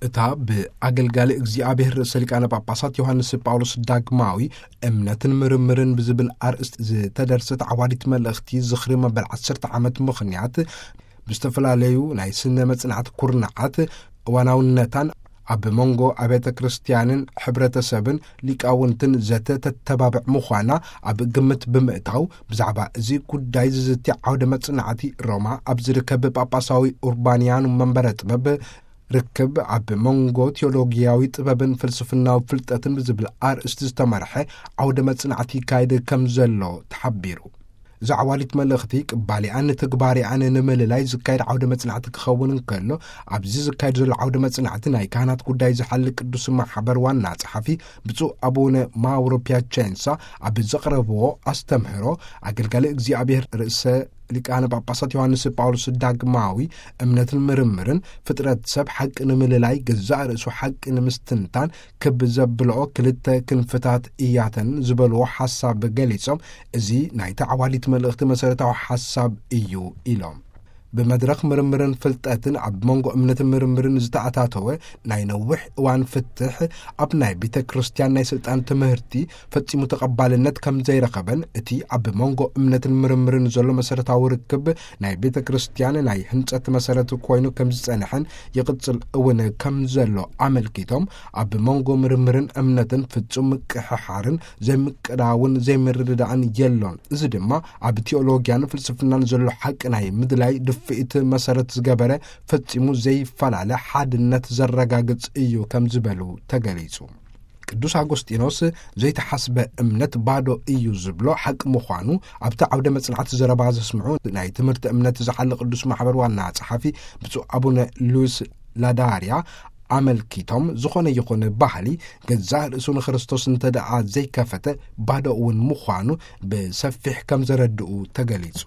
እታ ብኣገልጋሊ እግዚኣብሔር ርእሰ ሊቃነ ጳጳሳት ዮሃንስ ጳውሎስ ዳግማዊ እምነትን ምርምርን ብዝብል ኣርእስቲ ዝተደርሰት ዓዋዲት መልእኽቲ ዝኽሪ መበል ዓሰርተ ዓመት ምኽንያት ብዝተፈላለዩ ናይ ስነ መጽናዕቲ ኩርናዓት እዋናውነታን ኣብ መንጎ ኣብያተ ክርስቲያንን ሕብረተሰብን ሊቃውንትን ዘተ ተተባብዕ ምዃና ኣብ ግምት ብምእታው፣ ብዛዕባ እዚ ጉዳይ ዝዝቲ ዓውደ መጽናዕቲ ሮማ ኣብ ዝርከብ ጳጳሳዊ ኡርባንያኑ መንበረ ጥበብ ርክብ ኣብ መንጎ ቴዎሎጊያዊ ጥበብን ፍልስፍናዊ ፍልጠትን ብዝብል ኣርእስቲ ዝተመርሐ ዓውደ መጽናዕቲ ይካየድ ከም ዘሎ ተሓቢሩ። እዛ ዓዋዲት መልእኽቲ ቅባሊኣን ትግባሪኣን ንምልላይ ዝካየድ ዓውደ መጽናዕቲ ክኸውን እንከሎ፣ ኣብዚ ዝካየድ ዘሎ ዓውደ መጽናዕቲ ናይ ካህናት ጉዳይ ዝሓሊ ቅዱስ ማሕበር ዋና ጸሓፊ ብፁዕ ኣቡነ ማውሮ ፒያቸንሳ ኣብ ዘቕረብዎ ኣስተምህሮ፣ ኣገልጋሊ እግዚኣብሔር ርእሰ ሊቃነ ጳጳሳት ዮሃንስ ጳውሎስ ዳግማዊ እምነትን ምርምርን ፍጥረት ሰብ ሓቂ ንምልላይ፣ ገዛእ ርእሱ ሓቂ ንምስትንታን ክብ ዘብልኦ ክልተ ክንፍታት እያተን ዝበልዎ ሓሳብ ገሊጾም፣ እዚ ናይታ ዓዋዲት መልእኽቲ መሰረታዊ ሓሳብ እዩ ኢሎም። ብመድረኽ ምርምርን ፍልጠትን ኣብ መንጎ እምነትን ምርምርን ዝተኣታተወ ናይ ነዊሕ እዋን ፍትሕ ኣብ ናይ ቤተ ክርስቲያን ናይ ስልጣን ትምህርቲ ፈጺሙ ተቐባልነት ከም ዘይረኸበን፣ እቲ ኣብ መንጎ እምነትን ምርምርን ዘሎ መሰረታዊ ርክብ ናይ ቤተ ክርስቲያን ናይ ህንጸት መሰረት ኮይኑ ከም ዝጸንሐን ይቕጽል እውን ከም ዘሎ ኣመልኪቶም፣ ኣብ መንጎ ምርምርን እምነትን ፍጹም ምቅሕሓርን ዘይምቅዳውን ዘይምርድዳእን የሎን። እዚ ድማ ኣብ ቴዎሎጊያን ፍልስፍናን ዘሎ ሓቂ ናይ ምድላይ ድፍኢት መሰረት ዝገበረ ፈጺሙ ዘይፈላለ ሓድነት ዘረጋግጽ እዩ ከም ዝበሉ ተገሊጹ። ቅዱስ ኣጎስጢኖስ ዘይተሓስበ እምነት ባዶ እዩ ዝብሎ ሓቂ ምዃኑ ኣብቲ ዓውደ መጽናዕቲ ዘረባ ዘስምዑ ናይ ትምህርቲ እምነት ዝሓሊ ቅዱስ ማሕበር ዋና ጸሓፊ ብፁዕ ኣቡነ ሉዊስ ላዳርያ ኣመልኪቶም፣ ዝኾነ ይኹን ባህሊ ገዛእ ርእሱ ንክርስቶስ እንተ ደኣ ዘይከፈተ ባዶ እውን ምዃኑ ብሰፊሕ ከም ዘረድኡ ተገሊጹ።